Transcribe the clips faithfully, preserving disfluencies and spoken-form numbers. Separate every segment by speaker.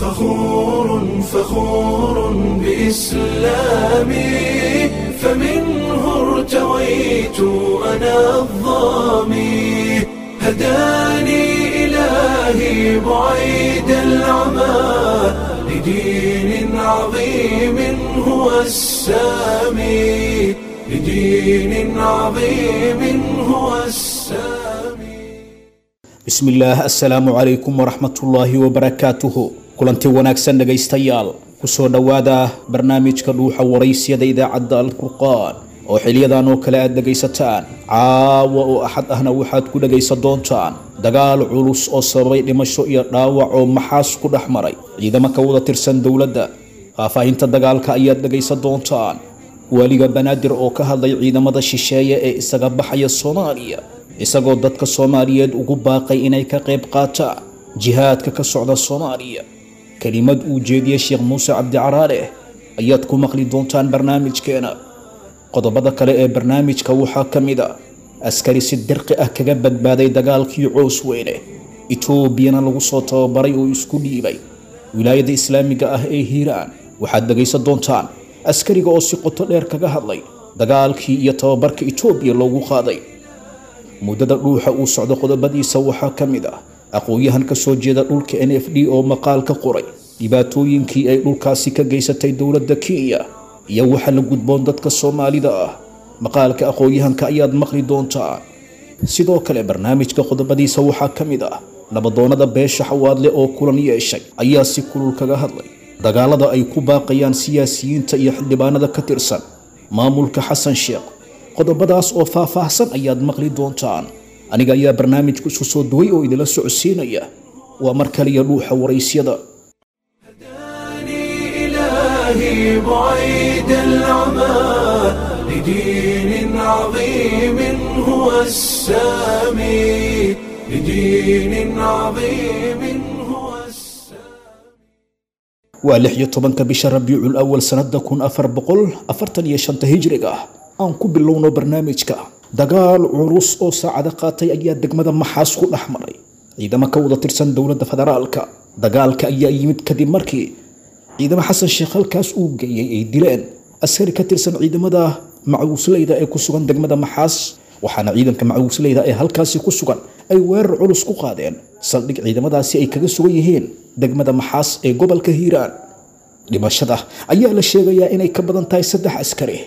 Speaker 1: فخور فخور بإسلامي، فمنه ارتويت أنا الظامي، هداني إلهي بعيد العمى لدين عظيم هو السامي، لدين عظيم هو السامي.
Speaker 2: Bismillaah, assalaamu calaykum waraxmatullaahi wabarakaatuhu. Kulanti wanaagsan dhegaystayaal, kusoo dhowaada barnaamijka Dhuuxa Waraysiyada idaacadda Alfurqaan oo xiliyadan oo kale aad dhegaysataan. Caawa oo Axad ahna waxaad ku dhegaysan doontaan dagaal culus oo sababay dhimasho iyo dhaawac oo Maxaas ku dhex maray ciidamo ka wada tirsan dowladda. Faahfaahinta dagaalka ayaad dhegaysan doontaan. Waaliga Banaadir oo ka hadlay ciidamada shisheeye ee isaga baxaya Soomaaliya, isagoo dadka Soomaaliyeed ugu baaqay inay ka qayb qaataan jihaadka ka socda Soomaaliya. Kelimad uu jeediyey Sheekh Muuse Cabdi Caraale ayaad ku maqli doontaan barnaamijkeena. Qodobada kale ee barnaamijka waxaa ka mid a askari si dirqi ah kaga badbaaday dagaalkii Coos Weyne, Etoobiyana lagu soo tababaray oo isku dhiibay wilaayada islaamiga ah ee Hiiraan. Waxaad dhegaysan doontaan askariga oo si qoto dheer kaga hadlay dagaalkii iyo tababarka Etoobiya loogu qaaday. Muddada Dhuuxa uu socdo qodobadiisa waxaa ka mid ah aqoon-yahan ka soo jeeda dhulka N F D oo maqaal ka qoray dhibaatooyinkii ay dhulkaasi ka geysatay dowladda Kenya iyo waxa la gudboon dadka Soomaalida ah. Maqaalka aqoon-yahanka ayaad maqli doontaan. Sidoo kale barnaamijka qodobadiisa waxaa ka mid ah nabadoonada beesha Xawaadle oo kulan yeeshay ayaa si kulul kaga hadlay dagaalada ay ku baaqayaan siyaasiyiinta iyo xildhibaanada ka tirsan maamulka Xasan Sheekh. Qodobadaas oo faahfaahsan ayaad maqli doontaan. Aniga ayaa barnaamijku isku soo duway oo idinla socodsiinaya. Waa mar kaliya Dhuuxa Waraysyada.
Speaker 1: هداني إلهي بعيد العمى لدين عظيم هو السامي، لدين عظيم هو السامي.
Speaker 2: Waa lix iyo tobanka bisha Rabiicul Awal sanada kun afar boqol afartan iyo shanta hijriga. Aan ku bilowno barnaamijka. Dagaal culus oo saacado qaatay ayaa degmada Maxaas ku dhex maray ciidamo ka wada tirsan dowladda federaalka. Dagaalka ayaa yimid kadib markii ciidamo Xasan Sheekh halkaas uu geeyey ay dileen askari ka tirsan ciidamada macawisleyda ee ku sugan degmada Maxaas, waxaana ciidanka macawisleyda ee halkaasi ku sugan ay weerar culus ku qaadeen saldhig ciidamadaasi ay kaga sugan yihiin degmada Maxaas ee gobolka Hiiraan. Dhimashada ayaa la sheegayaa inay ka badan tahay saddex askari,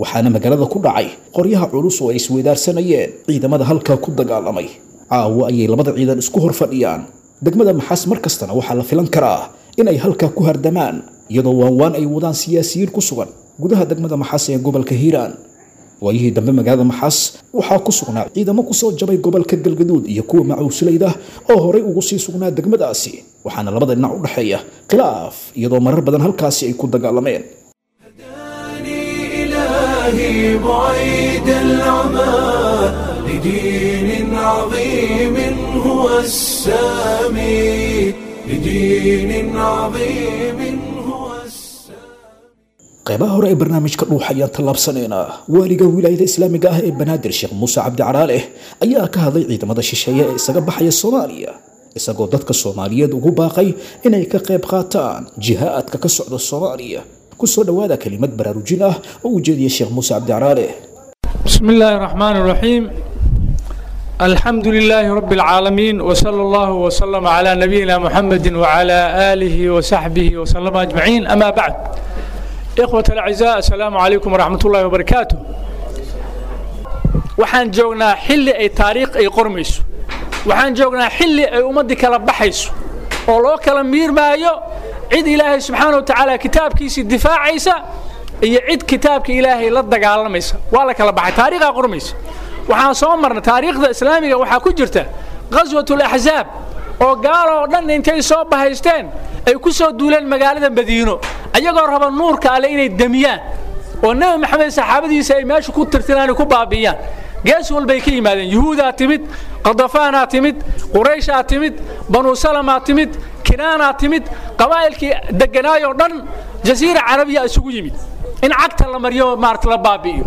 Speaker 2: waxaana magaalada ku dhacay qoryaha culus oo ay isweydaarsanayeen ciidamada halkaa ku dagaalamay. Caawa ayay labada ciidan isku hor fadhiyaan degmada Maxaas, mar kastana waxaa la filan karaa inay halkaa ku hardamaan, iyadoo waanwaan ay wadaan siyaasiyiin ku sugan gudaha degmada Maxaas ee gobolka Hiiraan. Waayihii dambe magaalada Maxaas waxaa ku sugnaa ciidamo kusoo jabay gobolka Galgaduud iyo kuwa macuusulayda oo horay ugu sii sugnaa degmadaasi, waxaana labada dhinac u dhexeeya khilaaf, iyadoo marar badan halkaasi ay ku dagaalameen.
Speaker 1: هداني إلهي بعيد العمى لدين عظيم هو السامي، لدين عظيم هو السامي.
Speaker 2: Qeybaha hore ee barnaamijka Dhuuxa ayaan tallaabsanaynaa. Waaliga wilaayada islaamiga ah ee Banaadir Sheekh Muuse Cabdi Caraale ayaa ka hadlay ciidamada shisheeye ee isaga baxaya Soomaaliya, isagoo dadka Soomaaliyeed ugu baaqay inay ka qayb qaataan jihaadka ka socda Soomaaliya. Kusoo dhowaada kelimad baraarujin ah oo uu jeediyey Sheekh Muuse Cabdi Caraale.
Speaker 3: بسم الله الرحمن الرحيم، الحمد لله رب العالمين، وصلى الله وسلم على نبينا محمد وعلى آله وصحبه وسلم أجمعين، أما بعد. إخوة الأعزاء، السلام عليكم ورحمة الله وبركاته. Waxaan joognaa xilli ay taariikh ay qormayso, waxaan joognaa xilli ay ummaddii kala baxayso oo loo kala miirmaayo cid Ilaahay subxaana wa tacaala kitaabkiisii difaacaysa iyo cid kitaabka Ilaahay la dagaalamaysa. Waa la kala baxay, taariikhaa qormaysa. Waxaan soo marnay taariikhda islaamiga, waxaa ku jirta qaswatul axzaab oo gaalo oo dhan intay soo bahaysteen ay ku soo duuleen magaalada Madiino, ayagoo raba nuurka Alle inay demiyaan oo Nebi Maxamed saxaabadiisa ay meesha ku tirtiraan ku baabi'iyaan. Gees walbay ka yimaadeen: Yuhuudaa timid, Qadafaanaa timid, Qurayshaa timid, Banu Salamaa timid, Kinaanaa timid, qabaa'ilkii degganaayoo dhan jasiira carabiya isugu yimid in cagta la mariyo, maarata, la baabi'iyo.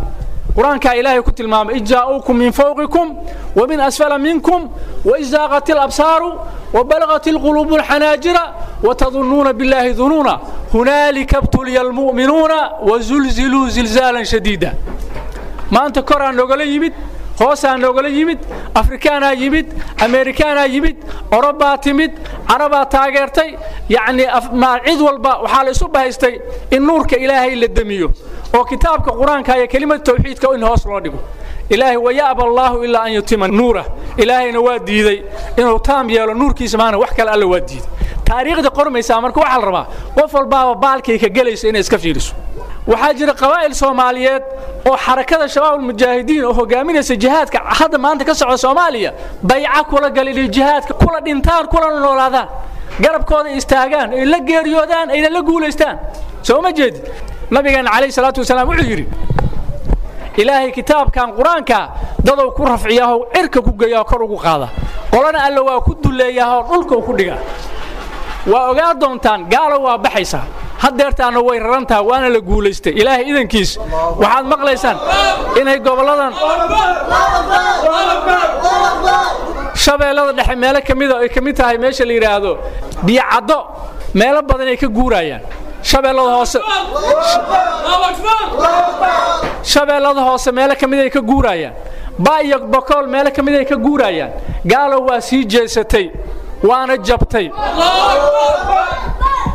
Speaker 3: Qur-aankaa Ilaahay ku tilmaamay, id jaa'uukum min fawqikum wa min asfala minkum wa izaaqat alabsaaru wa balagat alquluubu alxanaajira wa tadunnuuna billaahi dunuuna hunaalika ibtuliya almu'minuuna wa zulziluu zilzaalan shadiida. Maanta koraa noogala yimid, hoosaa noogala yimid, Afrikaanaa yimid, Ameerikaanaa yimid, Orobaa timid, Carabaa taageertay, yacnii cid walba waxaa la isu bahaystay in nuurka Ilaahay la demiyo oo kitaabka Qur-aanka iyo kelimada tawxiidka in hoos loo dhigo. Ilaahay waya'ba Allaahu ilaa an yutima nuurah, Ilaahayna waa diiday inuu taam yeelo nuurkiisa, maana wax kale Alla waa diiday. Taariikhda qormaysaa marka waxaa la rabaa qof walbaaba baalkay ka gelaysa inay iska fiiriso. Waxaa jira qabaa'il Soomaaliyeed oo xarakada Shabaabulmujaahidiin oo hogaaminaysa jihaadka hadda maanta ka socda Soomaaliya bayca kula galin, jihaadka kula dhintaan, kulana noolaadaan, garabkooda istaagaan, ay la geeriyoodaan, ayna la guulaystaan. Soo ma jeedid? Nabigeena calayhi salaatu wasalaam wuxuu yidhi, Ilaahay kitaabkan Qur-aanka dadow ku rafciyaahoo cirka ku geeyaho kor ugu qaada, qolana Alla waa ku duleeyaahoo dhulka ku dhigaa. Waa ogaa doontaan, gaalo waa baxaysaa, haddeertaana way raran tahay, waana la guulaystay Ilaahay idankiis. Waxaad maqlaysaan inay gobolladan Shabeellada Dhexe meelo ka mida ay ka mid tahay meesha la yidhaahdo Biyocaddo, meelo badan ay ka guurayaan. Shabeellada Hoose, Shabeellada Hoose meelo ka mid ay ka guurayaan, Ba iyo Bokool meelo ka mid ay ka guurayaan. Gaalo waa sii jeesatay waana jabtay.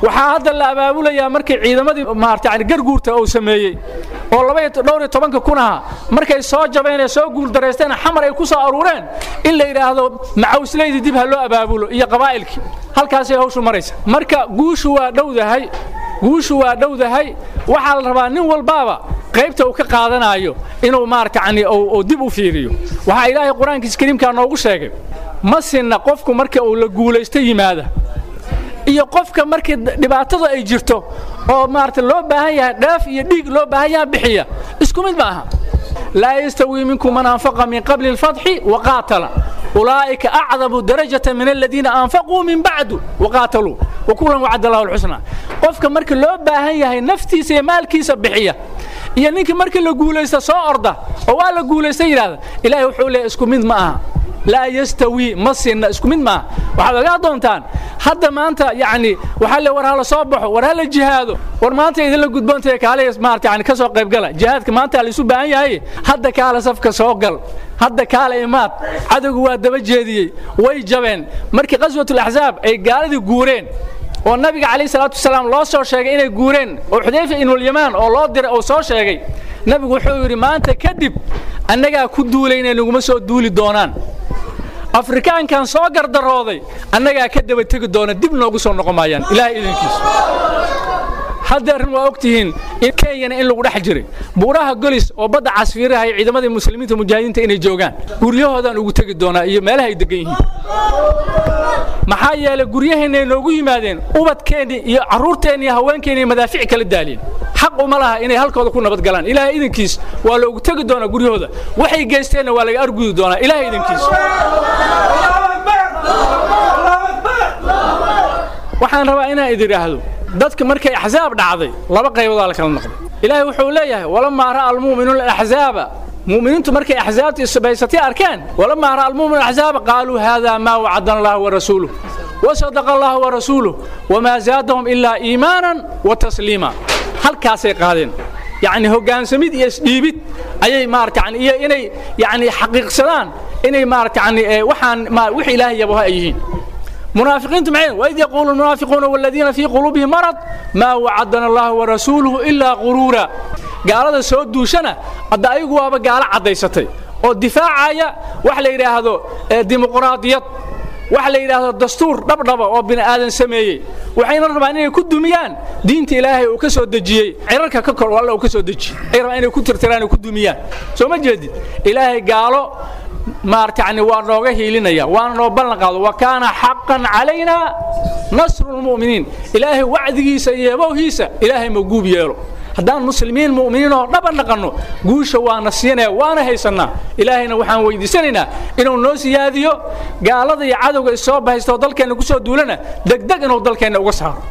Speaker 3: Waxaa hadda la abaabulayaa markii ciidamadii maarata yani garguurta uu sameeyey oo laba iyo dhowr iyo tobanka kun ahaa markay soo jabeen ee soo guuldaraysteen Xamar ay ku soo aruureen, in la yidhaahdo macawsleydii dib ha loo abaabulo iyo qabaa'ilkii. Halkaasay hawshu maraysa. Marka guushu waa dhowdahay, guushu waa dhowdahay. Waxaa la rabaa nin walbaaba qaybta uu ka qaadanaayo inuu maarata yani uu dib u fiiriyo. Waxaa Ilaahay Qur-aankiisa kariimkaa noogu sheegay, ma sinna qofku marka uu la guulaysto yimaada iyo qofka markii dhibaatada ay jirto oo maarata loo baahan yahay dheef iyo dhiig loo baahan yahay bixiya, isku mid ma aha. Laa yastawii minkum man anfaqa min qabli alfatxi waqaatala ulaa'ika acdamu darajata min aladiina anfaquu min bacdu waqaataluu wakulan wacada Allahu alxusna. Qofka marka loo baahan yahay naftiisa iyo maalkiisa bixiya iyo ninkii markii la guulaysta soo orda oo waa la guulaysta yidhahda, Ilaahay wuxuu leeyahy isku mid ma aha. Laa yastawii, ma sinna, isku mid maaha. Waxaad ogaa doontaan hadda maanta yacni waxaa le war hala soo baxo, war hala jihaado, war maanta idinla gudboontaye kaale maarata yani ka soo qaybgala jihaadka, maanta la isu baahan yahay, hadda kaale safka soo gal, hadda kaale imaad. Cadowgu waa daba jeediyey, way jabeen. Markii qaswatul axzaab ay gaaladii guureen oo nabiga calayhi salaatu wasalaam loo soo sheegay inay guureen oo Xudayfa ibnulyamaan oo loo diray oo soo sheegay, nabigu wuxuu yidhi maanta kadib annagaa ku duulayna naguma soo duuli doonaan. Afrikaankan soo gardarooday annagaa ka daba tegi doona, dib noogu soo noqon maayaan Ilaahay idankiisa. Hadda arrin waa ogtihiin in Kenyana in lagu dhex jiray buuraha Golis oo badda casfiiraha iyo ciidamadii muslimiinta mujaahidiinta inay joogaan, guryahoodaan ugu tegi doonaa iyo meelaha ay degan yihiin. Maxaa yeelay guryaheenna noogu yimaadeen, ubadkeennii iyo carruurteenni iyo haweenkeenni madaafiic kala daaliyeen, xaq uma laha inay halkooda ku nabad galaan. Ilaahay idankiis waa loogu tegi doonaa guryahooda, waxay geysteenna waa laga argudi doonaa Ilaahay idankiis. Waxaan rabaa inaan idin idhaahdo, dadka markay axzaab dhacday laba qaybood la kala noqday. Ilaahay wuxuu leeyahay walamaa ra'a almu'minuuna alaxzaaba, mu'miniintu markay axzaabta isbaysatay arkeen, walamaa ra'a almu'minuuna alaxzaaba qaaluu haadaa maa wacadana Allahu wa rasuuluh wa sadaqa Allahu wa rasuuluh wamaa zaadahum ilaa iimaanan wa tasliima. Halkaasay qaadeen yacni hoggaansamid iyo isdhiibid ayay maarata yani iyo inay yacni xaqiiqsadaan inay maarata yani waxaan wix Ilaahay yabaha ay yihiin. Munaafiqiintu maxay? Waid yaquulu almunaafiquuna waladiina fii quluubihim marad maa wacadana Allahu wa rasuuluhu ilaa quruura. Gaalada soo duushana hadda ayagu waaba gaalo caddaysatay oo difaacaya wax la yidhaahdo dimuqraadiyad, wax la yidhaahdo dastuur dhabdhaba oo bini aadan sameeyey. Waxayna rabaan inay ku dumiyaan diinta Ilaahay uu ka soo dejiyey cirarka ka kor, Alla uu ka soo dejiyey ay rabaan inay ku tirtiraan oo ku dumiyaan. Soo ma jeedid? Ilaahay gaalo maarata yani waa nooga hiilinaya, waana noo ballan qaado, wa kaana xaqan calaynaa nasru lmu'miniin. Ilaahay wacdigiisa iyo yabowhiisa Ilaahay ma guub yeelo. Haddaan muslimiin mu'miniin oo dhaban dhaqanno guusha waana siinaya, waana haysannaa. Ilaahayna waxaan weydiisanaynaa inuu noo siyaadiyo gaalada iyo cadowga isoo bahaysta oo dalkeenna ku soo duulana degdeg inuu dalkeenna uga saaro.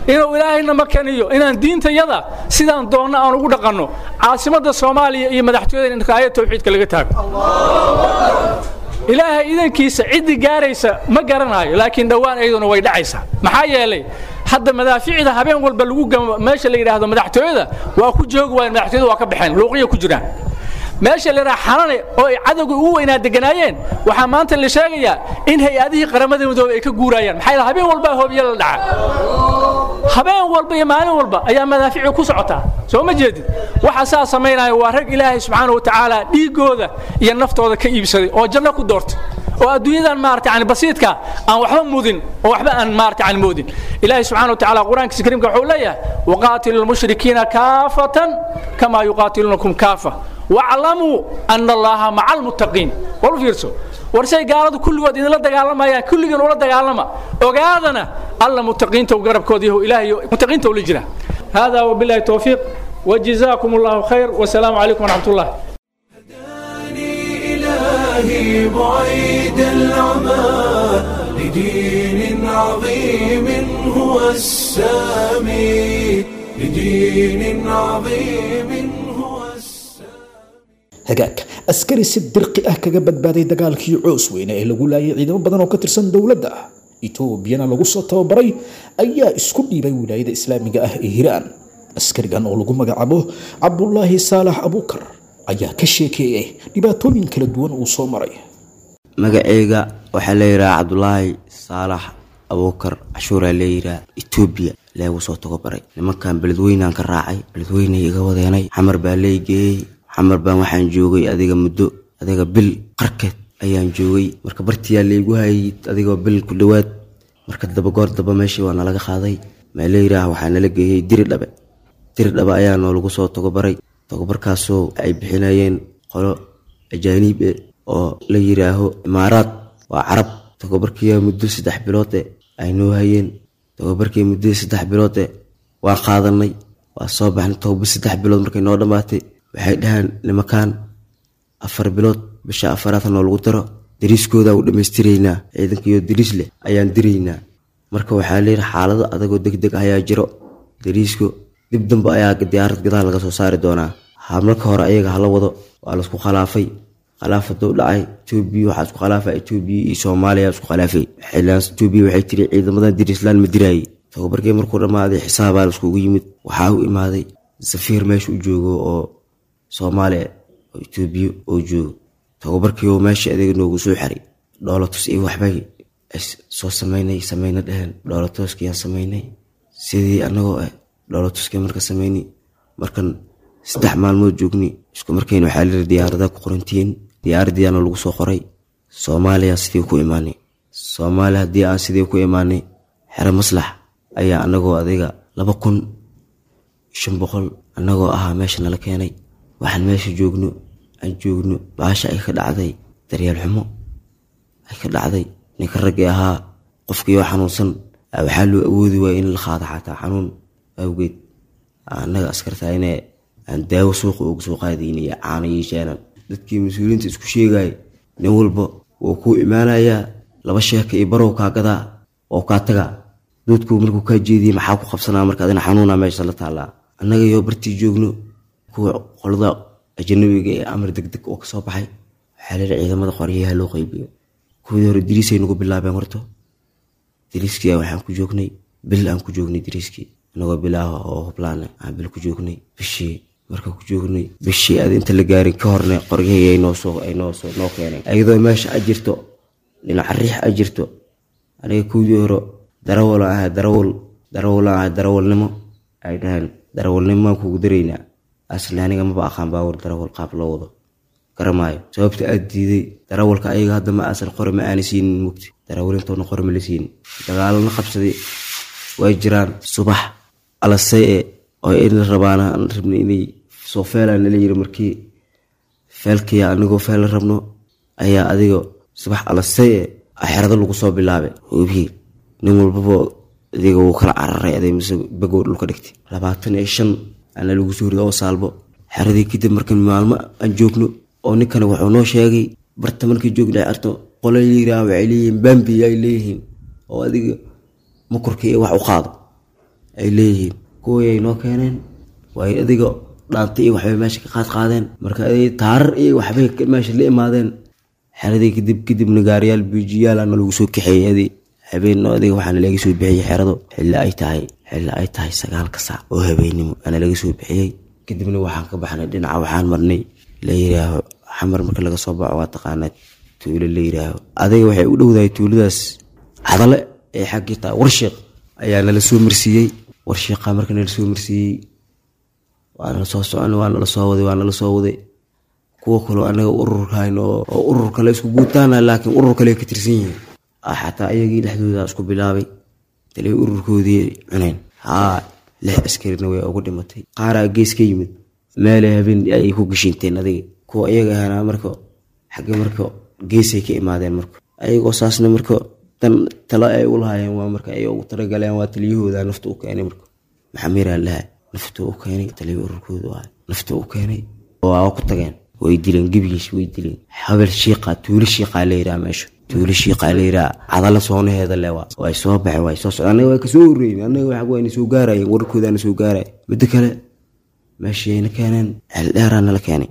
Speaker 3: Inuu Ilaahayna makaniyo inaan diintayada sidaan doonno aan ugu dhaqanno, caasimadda Soomaaliya iyo madaxtooyada in raayad tawxiidka laga taago. Ilaahay idankiisa ciddii gaaraysa ma garanayo, laakiin dhowaan iyaduna way dhacaysaa. Maxaa yeelay hadda madaaficda habeen walba lagu gamo meesha la yidhaahdo madaxtooyada waa ku joogi waayeen, madaxtooyada waa ka baxeen, luuqya ku jiraan. Meesha la yidhaha Xalane oo ay cadowga ugu weynaa deganaayeen, waxaa maanta la sheegayaa in hay-adihii Qaramada Midoobey ay ka guurayaan. Maxaa yeelay habeen walba hoobiye la dhaca, habeen walba iyo maalin walba ayaa madaaficu ku socotaa. Soo ma jeedid? Waxa saa samaynaya waa rag Ilaahay subxaana wa tacaala dhiiggooda iyo naftooda ka iibsaday oo janno ku doortay, oo adduunyadan maarata yani basiidka aan waxba mudin oo waxba aan maarata yani moodin. Ilaahay subxaana wa tacaala Qur-aankiisa kariimka wuxuu leeyahay: waqaatilu lmushrikiina kaafatan kamaa yuqaatiluunakum kaafa waclamuu ana Allaha maca almuttaqiin. Wal fiirso, war say gaaladu kulligood idinla dagaalamayaan, kulligiin ula dagaalama, ogaadana Alla muttaqiinta garabkooda yahu, Ilaahay muttaqiinta ula jira. Hada wabillahi tawfiiq, وجزاكم الله خير، والسلام عليكم ورحمة الله.
Speaker 1: هداني إلهي بعيد العمى لدين عظيم هو السامي، لدين عظيم هو السامي.
Speaker 2: Hagaag, askari si dirqi ah kaga badbaaday dagaalkii Coos Weyne ee lagu laayay ciidamo badan oo ka tirsan dowladda Etoobiyana lagu soo tababaray ayaa isku dhiibay Wilaayada Islaamiga ah ee Hiiraan. Askarigan oo lagu magacaabo Cabdulaahi Saalax Abuukar ayaa ka sheekeeyey dhibaatooyin kala duwan uu soo maray.
Speaker 4: Magaceyga waxaa la yidhaha Cabdulaahi Saalax Abuukar Cashuuraa la yidhaha. Etoobiya leegu soo tababaray nimankan. Beledweynaan ka raacay, Beledweynay iga wadeenay, Xamar baa lay geeyey. Xamar baan waxaan joogay adiga muddo adiga bil qarkeed ayaan joogay. Marka bartiyaa laygu hayay adigoo bil ku dhowaad. Marka daba goor daba meeshii waa nalaga qaaday, maa la yidhaaha, waxaa nala geeyey Diri Dhabe. Diri Dhabe ayaa noolagu soo tababaray, tababarkaasoo ay bixinayeen qolo ajaaniib eh oo la yiraaho Imaaraad, waa Carab. Tababarkiyaa muddo saddex bilood eh ay noo hayeen. Tababarkii muddo saddex bilood eh waan qaadanay, waa soo baxnay. Tababar saddex bilood markay noo dhammaatay, waxay dhahaan nimankaan afar bilood, bisha afaraad noolagu daro, dariiskooda u dhammaystiraynaa, ciidankiyo dariis leh ayaan diraynaa. Marka waxaa leeyahay xaalado adagoo deg deg ayaa jiro, dariisku dib dambe ayaa diyaarad gadaal laga soo saari doonaa, marka hore ayaga hala wado. Waa laisku khilaafay. Khilaaf haduu dhacay, Etoobiya waxaa isku khilaafay, Etoobiya iyo Soomaaliya isku khilaafay. Xillaan Etoobiya waxay tiri ciidamadan dariislaan ma diraayay. Tababarkii markuu dhammaaday, xisaabaa laiskugu yimid. Waxaa u imaaday safiir meesha u joogo oo Soomaaliya oo Etoobiya oo joogo. Tababarkii oo meesha adeeg noogu soo xiray, dhoolatus iyo waxbay soo samaynay, samayna dheheen. Dhoolatuskiyaan samaynay sidii annagoo ah. Dhoolatuskii marka samaynay, markan saddex maalmood joognay, isku markayna waxaa layiri diyaaradaha ku qorantihiin. Diyaaradiyaana lagu soo qoray. Soomaaliya sidii ku imaanay. Soomaaliya haddii aan sidii ku imaanay, xero Maslax ayaa anagoo adiga laba kun shan boqol annagoo ahaa meesha nala keenay. Waxaan meesha joogno aan joogno, baasha ay ka dhacday daryeel xumo ay ka dhacday. Ninka raggii ahaa, qofkiioo xanuunsan waxaa loo awoodi waayay in la qaado xataa xanuun awgeed. Annaga askartaa inee aan daawo suuqa uga soo qaadayna, caano yeeshaanan. Dadkii mas-uuliyiinta isku sheegaya, nin walba wuu kuu imaanayaa, laba sheeka iyo barow kaa gadaa oo kaa tagaa. Doodku markuu kaa jeediyey, maxaa ku qabsanaa? Marka adina xanuunaa meesha la taallaa. Annaga iyo bartii joogno, kuwa qolada ajanabiga ee amar degdeg oo kasoo baxay, waxaa leeyahay ciidamada qoryaha loo qaybiyo. Kuwii hore dariisay nagu bilaabeen. Horto dariiskii waxaan ku joognay bil, aan ku joognay dariiskii anagoo bilaaha oo hublaan aan bil ku joognay. Bishii marka ku joognay, bishii aad inta la gaarin ka horne, qoryahii ay noosoo ay noosoo noo keeneen, iyadoo meesha a jirto dhinaca riix a jirto. Aniga kuwii hore darawal ahaa, darawal darawal ahaa, darawalnimo ay dhaheen, darawalnimo kugu daraynaa. Asli aniga maba aqaan baawar darawal qaab loo wado garamaayo. Sababta aad diiday darawalka, ayaga hadda ma aasan qore ma aana siinin, mugti darawalintoona qore ma la siinin. Dagaalana qabsaday way jiraan. Subax alasay e oo in rabaana aan rabnay inay soo feelaan nala yiri. Markii feelkiya anigoo feel rabno ayaa adiga subax alasay e xerado lagu soo bilaabay hubihii. Nin walbaba adiga wuu kala cararay, aday mise bagow dhulka dhigtay. Labaatan iyo shan ana lagu soo rido oo saalbo xeradii. Kadib markan maalmo aan joogno oo ninkani wuxuu noo sheegay, barta markii joogna arto qola yiraa waxay leeyihiin bambi ay leeyihiin oo adiga makorka iyo wax u qaado. Ay leeyihiin kuwii ay noo keeneen way adiga dhaantay iyo waxbay meesha ka qaad qaadeen. Marka ay taarar iyo waxbay meesha la imaadeen xeradii. Kadib kadibna gaariyaal biijiyaal ana lagu soo kaxeeyey adi habeen adiga. Waxaana laga soo bixiyey xerado xilli ay tahay xilli ay tahay sagaalka saac oo habeennimo ana laga soo bixiyey. Kadibna waxaan ka baxnay dhinaca, waxaan marnay la yiraaho Xamar. Marka laga soo baxo waa taqaanaa tuulo la yiraaho adiga, waxay u dhowdahay tuuladaas Cadale ee xaggii taa Warshiiq ayaa nala soo marsiiyey. Warshiiqa marka nala soo marsiiyey waa nala soo socon, waa nala soo waday, waa nala soo waday. Kuwa kaloo anaga ururkahayn oo urur kale isku guutaana, laakiin urur kale ka tirsan yihiin, xataa iyagii dhexdooda isku bilaabay taliya ururkoodii cuneen. Haa, lix askarina way ugu dhimatay. Qaaraa gees ka yimid meelay habeen ay ku gashinteen adiga kuwa iyaga ahana. Marka xagge marka geesay ka imaadeen marka ayagoo saasna marka tan talo ay u lahaayeen waa marka ay ugu talagaleen waa taliyahooda nafta u keenay. Marka Maxamiraa laha nafta u keenay, taliya ururkoodu ahay nafta u keenay. Waa ku tageen, way dileen gebigiis, way dileen. Habel Shiiqa, tuulo Shiiqaa la yiraa meesha, tuulo Shiiqaa la yiraa, Cadala soonaheeda le waa. Way soo baxeen, way soo socdeen, annaga way kasoo horreeyeen annaga. Waxa wayna soo gaarayeen, wararkoodaana soo gaaraya. Midda kale meeshayna keeneen Ceeldheeraa nala keenay,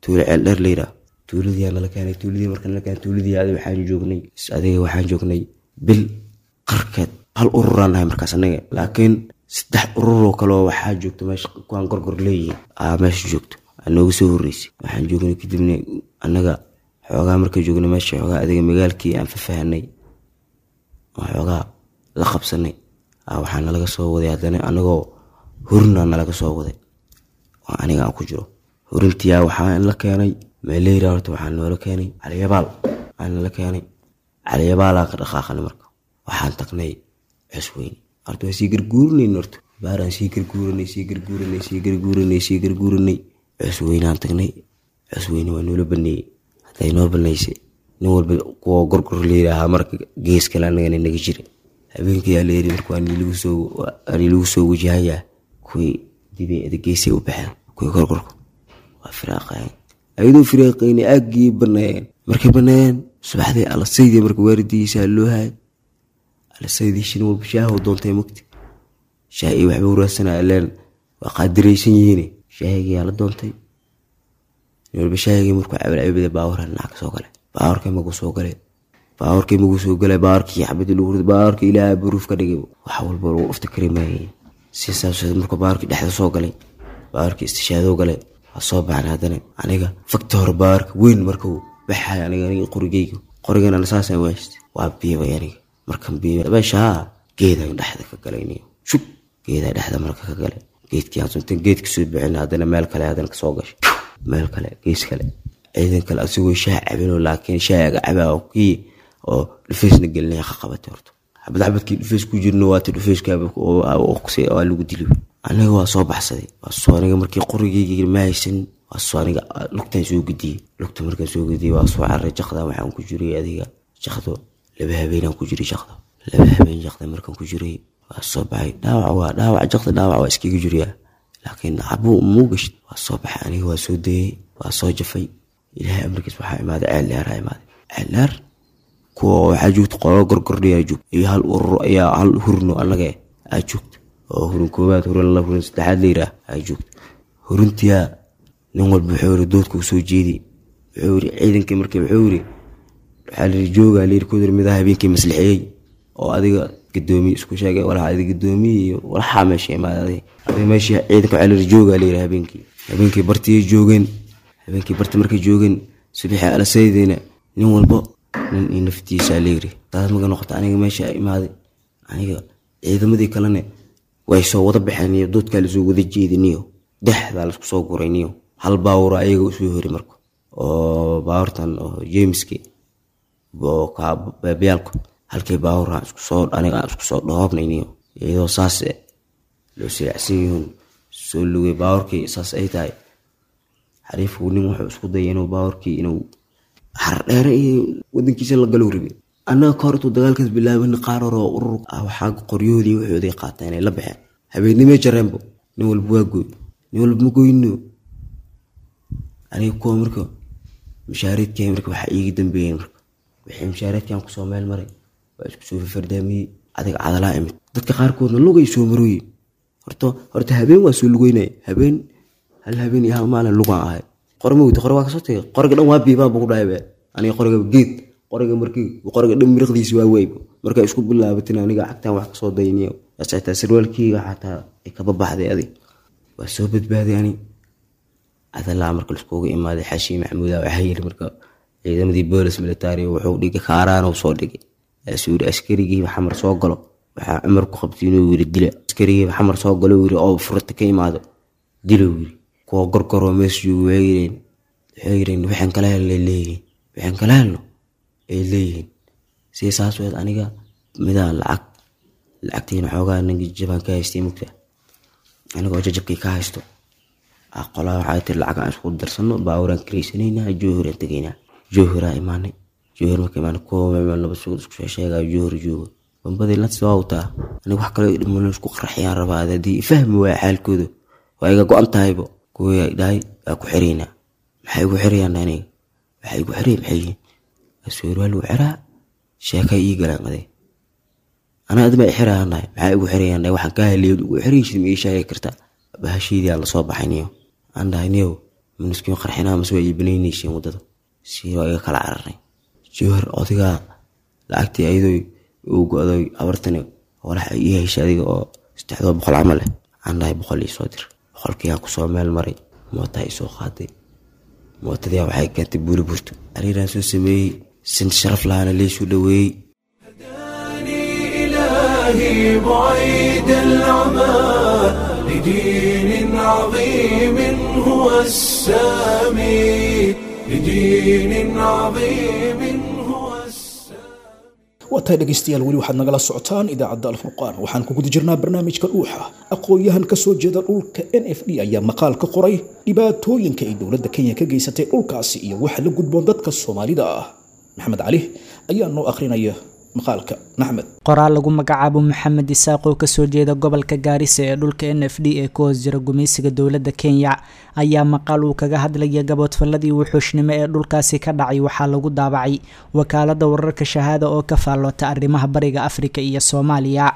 Speaker 4: tuulo Ceeldheer la yiraa tuuladiyaa nala keenay. Tuuladii marka nala keenay, tuuladii adiga waxaan joognay adiga waxaan joognay bil qarkeed. Hal ururaan nahay markaas annaga, laakiin saddex ururoo kaleo waxaa joogto meesha kuwaan Gorgor leeyihiin aa meesha joogto nooga soo horreysay. Waxaan joognay kadibna annaga xoogaa. Marka joognay meesha xoogaa adiga magaalkii aan fafahanay oo xoogaa la qabsanay, waxaa nalaga soo waday haddana anagoo hurina nalaga soo waday oo aniga aan ku jiro hurintiyaa. Waxaa la keenay meeleyra horta, waxaa noola keenay Caliyabaal aa nala keenay. Caliyabaalaa ka dhaqaaqanay marka waxaan tagnay Cusweyne. Horta waa sii garguurinayna, horta baaraan sii garguurinay, sii garguurinay, sii garguurinay, sii garguurinay. Cusweynaan tagnay. Cusweyne waa noola baneeyey. Hadday noo baneysay nin walba kuwa Gorgor la yidhaahaa marka gees kale annagana naga jira. Habeenkii yaa la yidhi marka waa nilagu soo waa nilagu soo wajahayaa. Kuwii dibay ada geesay u baxeen, kuwii Gorgorka waa firaaqayeen. Ayadoo firaaqayna aaggii baneeyeen. Markay baneeyeen subaxdii alasaydii marka waaridigiisa loo hayay alasaydii shin walba shaahu doontay mugti shaah iyo waxba uraadsanaya ileen waa qaadiraysan yihiin. Shaahigiyaa la doontay nin walba shaahigii. Markuu cabalcabida baawarka dhinac ka soo galay, baawarkii magu soo galay, baawarkii magu soo galay, baawarkii xabadii lagu riday, baawarkii Ilaahay buruuf ka dhigay, wax walba lagu dhufta kari maayay. Si saas markuu baawarkii dhexda soo galay, baawarkii istishaadoo galay, waa soo baxnay haddana aniga fakta hore baawarka weyn markuu baxay aniga aniga qorigeyga qorigan ana saasaan wahaystay waa biibay aniga. Markan biibay meeshaa geedaan dhexda ka galay niyo shub geedaa dhexda marka ka galay geedkii aan suntan geedka soo bixin haddana meel kale haddana kasoo gashay, meel kale gees kale ciidan kale asigoo shaah cabinoo, laakiin shaaga cabaa kii oo dhufaysna gelinaya ka qabatay horta xabad xabadkii dhufays ku jirno waata dhufayska waa lagu dili. Aniga waa soo baxsaday, waa soo aniga markii qorigeyga ma haysan, waa soo aniga lugtaan soo gudiyey. Lugta markaan soo gudiyey waa soo carray jaqda. Waxaan ku jiray adiga jaqdo laba habeenaan ku jiray jaqdo, laba habeen jaqda markaan ku jiray waa soo baxay. Dhaawac waa dhaawac jaqda, dhaawac waa iskaga jiriyaa, laakiin cabuu muu gashid. Waa soo baxay aniga, waa soo dayey, waa soo jafay. Ilaahay amarkiis waxaa imaaday Ceel Dheeraa imaaday. Ceel Dheer kuwa waxaa joogta qolo Gorgordhiyaa joogta iyo hal urur ayaa hal hurno annaga aa joogta oo hurin koowaad, hurin laba, hurin saddexaad la yiraah aa joogta. Hurintiyaa nin walba wuxuu yiri doodka usoo jeedi. Wuxuu yiri ciidankii markii wuxuu yiri waxaa la yiri joogaa la yiri kudir midaha habeenkii maslixiyey oo adiga gadoomiye isku sheegay walaxa adiga gadoomiye iyo walaxa meesha imaaday adiga meesha ciidanka. Waxaa la yiri joogaa la yiri habeenkii habeenkii bartiyay joogeen. Habeenkii barti markay joogeen subaxii alasaydina nin walbo nin iyo naftiisa la yiri. Taas marka noqota aniga meesha imaaday aniga ciidamadii kalena way soo wada baxeen iyo doodkaa lasoo wada jeediniyo dexdaa lasku soo gurayniyo. Hal baawur ayaga usoo hori marka oo baawurtan oo Jameski oo baabyaalku halkii baawur aan isku soo aniga aan isku soo dhoobnayniyo iyadoo saas loo silaacsan yihiin soo lugay baawurkii. Saas ay tahay xariifku nin wuxuu isku dayay inuu baawurkii inuu Xardheere iyo wadankiisa la galo rabi. Annaga ka hor intuu dagaalkaas bilaabin qaar hore oo urur ah waxaa qoryahoodii waxoodii qaateen ay la baxeen habeennimay jareenbo. Nin walba waa gooy, nin walba ma goyno. Aniga kuwa marka mushaareedkii marka waxaa iiga dambeeyeen marka wixii mushaareedkan kusoo meel maray waa isku soo fardaamiyey adiga Cadalaa imid. Dadka qaarkoodna lugay soo marooyin Horta horta habeen waa soo lugeynay, habeen hal habeen iyo hal maalin lugaan ahay. Qori ma weydi, qori waa kasoo tagay, qoriga dhan waa biibaa buu ku dhahay be. Aniga qoriga geed, qoriga markii qoriga dhan miriqdiisi waa weybo. Markay isku bilaabatin aniga cagtaan wax kasoo dayniyo. Xitaa sarwaalkeyga xataa ay kaba baxday adi. Waa soo badbaaday ani. Cadalaa marka laiskugu imaaday Xaashi Maxamuud waxaa yiri marka ciidamadii boolis military wuxuu dhigay kaaraan uu soo dhigay. Kaasuu yiri askarigii Xamar soo galo. Waxaa Cumar ku qabtay inuu yiri dila. Askarigii Xamar soo galo yiri oo furta ka imaado. Dilo yiri. Kuwa gorgoroo meesha joogo waxay yireen waxay yireen waxaan kala helnay leeyihiin. Waxaan kala helno ay leeyihiin. Si saas weed aniga midaan lacag lacagtiina xoogaa ninka jabaan ka haystay mugta. Anigoo jajabkii ka haysto. Qolaa waxay tiri lacag aan isku darsano baabuuraan kiraysanayna Jowhar aan tegaynaa. Jowhar imaanay. Jowhar marka imaanay kuwa meel nabad sugid isku soo sheegay Jowhar joogo. Bambadii la soo wataa. Aniga wax kale dhiman isku qarxiyaan rabaa hadii fahmi waaya xaalkooda. Waa iga go'an tahaybo. Kuwii ay dhahay waa ku xiraynaa. Maxay igu xirayaan aniga? Waxay igu xirayaan maxay yihiin? Suurwaal lagu xiraa sheeka ii galaan aday. Anaa adma i xirayaan dhahay. Maxay igu xirayaan dhahay? Waxaan ka heliyay ugu xiraysid ma ii sheegi kartaa? Bahashiidii aan la soo baxay niyo. Aan dhahay niyow maniskiin qarxinaa mase waa iibinaynaysiin waddada. Si waa iga kala cararnay. Jowhar odagaa lacagtii ayadoo uu go'day abartani walax ay ii heshay adiga oo saddexdoo boqol camal eh. Aan dhahay boqol ii soo dir. Boqolkii aan kusoo meel maray. Mootaa ii soo qaaday. Mootadii waxay keentay buuri burto. Ariiraan soo sameeyey. Sin sharaf lahaana leysuu dhaweeyey.
Speaker 1: إلهي بعيد العمى لدين عظيم هو السامي لدين عظيم هو السامي.
Speaker 2: Waa tahay dhegaystayaal, weli waxaad nagala socotaan idaacadda Alfurqaan. Waxaan ku guda jirnaa barnaamijka Dhuuxa. Aqoon-yahan ka soo jeeda dhulka N F D ayaa maqaal ka qoray dhibaatooyinka ay dowladda Kenya ka geysatay dhulkaasi iyo waxa la gudboon dadka Soomaalida ah. Maxamed Cali ayaa noo akhrinaya maqaalka. Maxamed.
Speaker 5: Qoraal lagu magacaabo Maxamed Isaaq oo kasoo jeeda gobolka Gaarisa ee dhulka N F D ee ku hoos jira gumaysiga dowladda Kenya ayaa maqaal uu kaga hadlaya gaboodfalladii wuxuushnimo ee dhulkaasi ka dhacay waxaa lagu daabacay wakaaladda wararka Shahaada oo ka faalloota arrimaha bariga Afrika iyo Soomaaliya.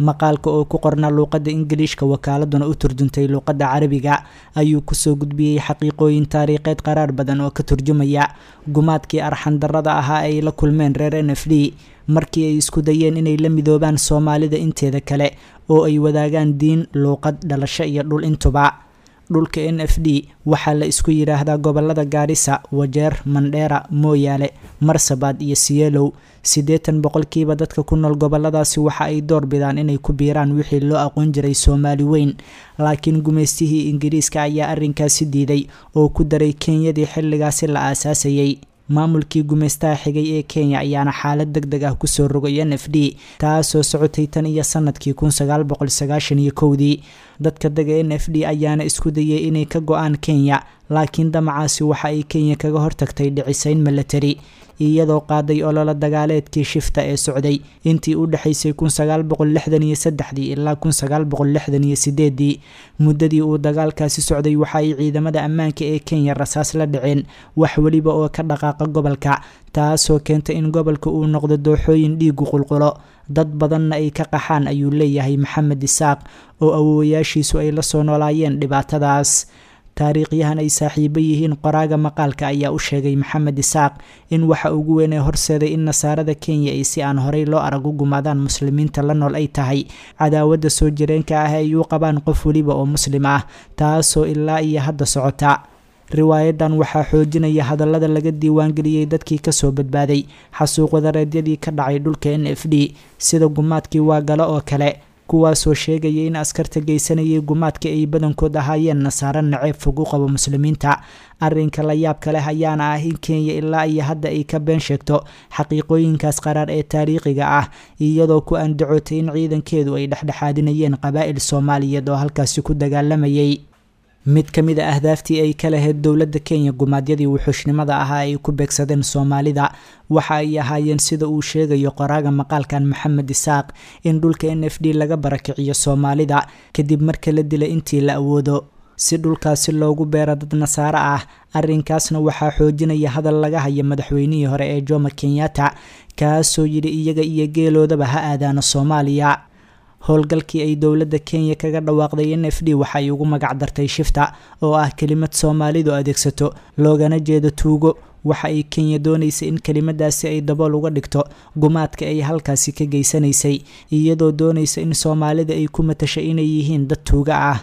Speaker 5: Maqaalka oo ku qornaa luuqadda Ingiliishka wakaaladuna u turjuntay luuqadda Carabiga ayuu kusoo gudbiyey xaqiiqooyin taariikheed qaraar badan oo ka turjumaya gumaadkii arxan darrada ahaa ay la kulmeen reer N F D markii ay isku dayeen inay la midoobaan Soomaalida inteeda kale oo ay wadaagaan diin, luuqad, dhalasho iyo dhul intuba. Dhulka N F D waxaa la isku yiraahdaa gobolada Gaarisa, Wajeer, Mandheera, Mooyaale, Marsabad iyo Siyeelow. Siddeetan boqolkiiba dadka ku nool goboladaasi waxa ay door bidaan inay ku biiraan wixii loo aqoon jiray Soomaali weyn, laakiin gumaystihii Ingiriiska ayaa arrinkaasi diiday oo ku daray Kenyadii xilligaasi la aasaasayay. Maamulkii gumaystaha xigay ee Kenya ayaana xaalad degdeg ah kusoo rogay N F D, taasoo socotay tan iyo sanadkii kun sagaal boqol sagaashan iyo kowdii. Dadka dega N F D ayaana isku dayay inay ka go'aan Kenya, laakiin damacaasi waxa ay Kenya kaga hortagtay dhicisayn military, iyadoo qaaday olole dagaaleedkii shifta ee socday intii u dhaxaysay kun sagaal boqol lixdan iyo saddexdii ilaa kun sagaal boqol lixdan iyo sideedii. Muddadii uu dagaalkaasi socday waxa ay ciidamada ammaanka ee Kenya rasaas la dhaceen wax weliba oo ka dhaqaaqa gobolka, taasoo keentay in gobolka uu noqdo dooxooyin dhiigu qulqulo, dad badanna ay ka qaxaan, ayuu leeyahay Maxamed Isaaq oo awoowayaashiisu ay la soo noolaayeen dhibaatadaas. Taariikhyahan ay saaxiibo yihiin qoraaga maqaalka ayaa u sheegay Maxamed Isaaq in waxa ugu weyn ee horseeday in nasaarada Kenya ay si aan horey loo arag u gumaadaan muslimiinta la nool ay tahay cadaawadda soo jireenka ah ay u qabaan qof weliba oo muslim ah, taasoo ilaa iyo hadda socota. Riwaayadan waxaa xoojinaya hadallada laga diiwaangeliyey dadkii kasoo badbaaday xasuuq wadareedyadii ka dhacay dhulka N F D sida gumaadkii Waagalo oo kale, kuwaasoo sheegaya in askarta geysanayay gumaadka ay badankood ahaayeen nasaaro naceeb fog u qabo muslimiinta. Arrinka la yaabka leh ayaana ah in Kenya ilaa iyo hadda ay ka been sheegto xaqiiqooyinkaas qaraar ee taariikhiga ah, iyadoo ku andacootay in ciidankeedu ay dhexdhexaadinayeen qabaa'il Soomaaliyeed oo halkaasi ku dagaalamayay. Mid ka mid ah ahdaaftii ay ka lahayd dowladda Kenya gumaadyadii wuxuushnimada ahaa ay ku beegsadeen Soomaalida waxa ay ahaayeen, sida uu sheegayo qoraaga maqaalkan Maxamed Isaaq, in dhulka N F D laga barakiciyo Soomaalida kadib marka la dilay intii la awoodo si dhulkaasi loogu beero dad nasaaro ah. Arrinkaasna waxaa xoojinaya hadal laga haya madaxweynihii hore ee Jomo Kenyatta, kaasoo yidhi iyaga iyo geeloodaba ha aadaano Soomaaliya. Howlgalkii ay dowladda Kenya kaga dhawaaqday N F D waxa ay ugu magac dartay shifta, oo ah kelimad Soomaalidu adeegsato loogana jeedo tuugo. Waxa ay Kenya doonaysa in kelimadaasi ay dabool uga dhigto gumaadka ay halkaasi ka geysanaysay, iyadoo doonaysa in Soomaalida ay ku matashay inay yihiin dad tuuga ah.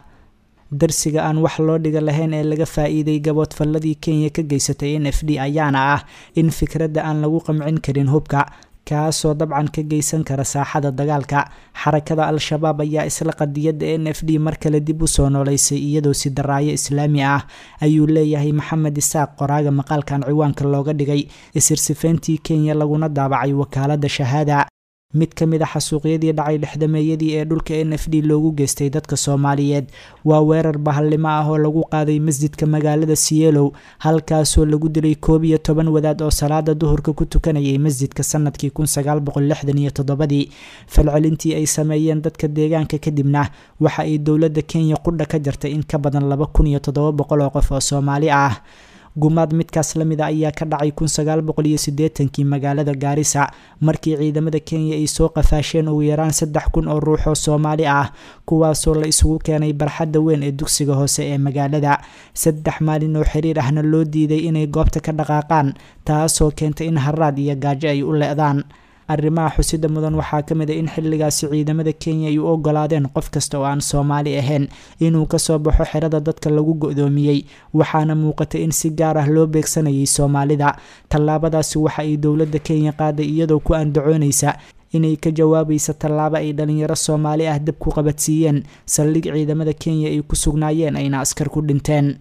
Speaker 5: Darsiga aan wax loo dhiga lahayn ee laga faa'iiday gaboodfalladii Kenya ka geysatay N F D ayaana ah in fikradda aan lagu qamcin karin hubka, kaasoo dabcan ka geysan kara saaxada dagaalka. Xarakada Al-Shabaab ayaa isla qadiyadda N F D mar kale dib u soo noolaysay iyadoo si daraayo islaami ah, ayuu leeyahay Maxamed Isaaq, qoraaga maqaalkan ciwaanka looga dhigay isirsifeyntii Kenya laguna daabacay wakaaladda Shahaada. Mid ka mid ah xasuuqyadii dhacay lixdameeyadii ee dhulka N F D loogu geystay dadka Soomaaliyeed waa weerar bahallimo ah oo lagu qaaday masjidka magaalada Sielow, halkaasoo lagu dilay koob iyo toban wadaad oo salaada duhurka ku tukanayay masjidka sanadkii kun sagaal boqol lixdan iyo toddobadii. Falcelintii ay sameeyeen dadka deegaanka kadibna waxa ay dowladda Kenya qudha ka jartay in ka badan laba kun iyo toddoba boqol oo qof oo Soomaali ah. Gumaad midkaas la mid ah ayaa ka dhacay kun sagaal boqol iyo siddeetankii magaalada Gaarisa, markii ciidamada Kenya ay soo qafaasheen ugu yaraan saddex kun oo ruux oo Soomaali ah, kuwaasoo la isugu keenay barxadda weyn ee dugsiga hoose ee magaalada. Saddex maalin oo xiriir ahna loo diiday inay goobta ka dhaqaaqaan, taasoo keentay in haraad iyo gaajo ay u le'daan. Arrimaha xusida mudan waxaa ka mid ah in xilligaasi ciidamada Kenya ay u oggolaadeen qof kasta oo aan Soomaali ahayn inuu ka soo baxo xerada dadka lagu go'doomiyey, waxaana muuqatay in si gaar ah loo beegsanayay Soomaalida. Tallaabadaasi waxa ay dowladda Kenya qaaday iyadoo ku andacoonaysa inay ka jawaabaysa tallaabo ay dhalinyaro Soomaali ah dab ku qabadsiiyeen saldhig ciidamada Kenya ay ku sugnaayeen ayna askar ku dhinteen.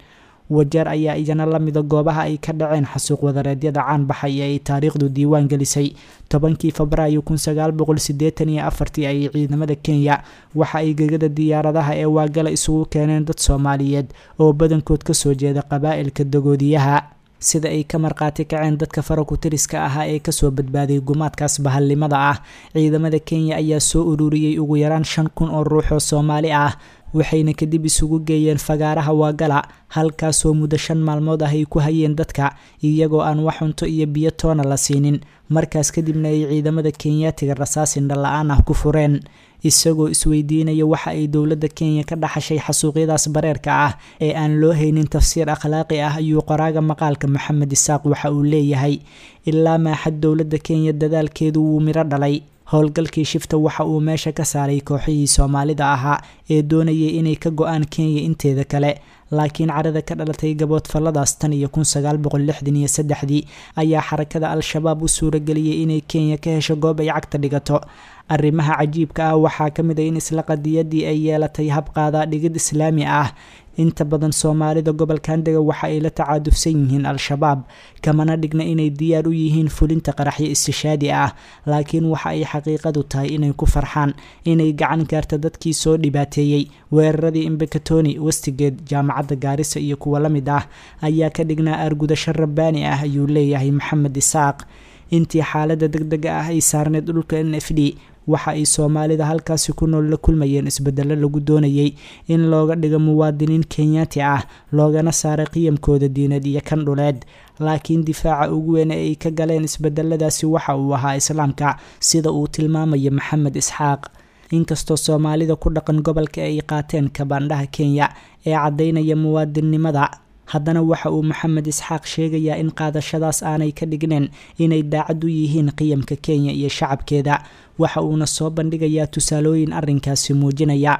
Speaker 5: Wajeer ayaa iyana la mida goobaha ay ka dhaceen xasuuq wadareedyada caan baxay ee ay taariikhdu diiwaan gelisay. Tobankii Febraayo kun sagaal boqol siddeetan iyo afartii ayay ciidamada Kenya waxa ay gegada diyaaradaha ee Waagala isugu keeneen dad Soomaaliyeed oo badankood ka soo jeeda qabaa'ilka Dagoodiyaha. Sida ay ka marqaati kaceen dadka farakutiriska ahaa ee kasoo badbaaday gumaadkaas bahallimada ah, ciidamada Kenya ayaa soo ururiyey ugu yaraan shan kun oo ruux oo Soomaali ah, waxayna kadib isugu geeyeen fagaaraha Waagala, halkaasoo muddo shan maalmood ah ay ku hayeen dadka iyagoo aan wax cunto iyo biyo toona la siinin. Markaas kadibna ay ciidamada Kenyaatiga rasaas indho la'aan ah ku fureen. Isagoo isweydiinaya waxa ay dowladda Kenya ka dhaxashay xasuuqyadaas bareerka ah ee aan loo haynin tafsiir akhlaaqi ah, ayuu qoraaga maqaalka Maxamed Isaaq waxa uu leeyahay ilaa maaxad dowladda Kenya dadaalkeedu wuu miro dhalay. Howlgalkii shifta waxa uu meesha ka saaray kooxihii Soomaalida ahaa ee doonayay inay ka go'aan Kenya inteeda kale, laakiin carada ka dhalatay gaboodfalladaas tan iyo kun sagaal boqol lixdan iyo saddexdii ayaa xarakada Al-Shabaab u suurageliyey inay Kenya ka hesho goob ay cagta dhigato. Arrimaha cajiibka ah waxaa ka mid ah in isla qadiyadii ay yeelatay hab qaadaa dhigid islaami ah. Inta badan Soomaalida gobolkan dega waxa ay la tacaadufsan yihiin Al-Shabaab, kamana dhigna inay diyaar u yihiin fulinta qaraxyo istishaadi ah, laakiin waxa ay xaqiiqadu tahay inay ku farxaan inay gacan gaarta dadkii soo dhibaateeyey. Weeraradii Embakatoni, Westgate, Jaamacadda Gaarisa iyo kuwa la mid ah ayaa ka dhignaa argudasho rabbaani ah, ayuu leeyahay Maxamed Isaaq. Intii xaaladda degdega ah ay saarneed dhulka N F D, waxa ay Soomaalida halkaasi ku nool la kulmayeen isbedello lagu doonayay in looga dhigo muwaadiniin Kenyaati ah, loogana saaray qiyamkooda diineed iyo kan dhuleed. Laakiin difaaca ugu weyn ee ay ka galeen isbedeladaasi waxa uu ahaa Islaamka, sida uu tilmaamayo Maxamed Isxaaq. Inkastoo Soomaalida ku dhaqan gobolka ay qaateen kabaandhaha Kenya ee caddaynaya muwaadinnimada, haddana waxa uu Maxamed Isxaaq sheegayaa in qaadashadaas aanay ka dhigneen inay daacad u yihiin qiyamka Kenya iyo shacabkeeda. Waxa uuna soo bandhigayaa tusaalooyin arrinkaasi muujinaya.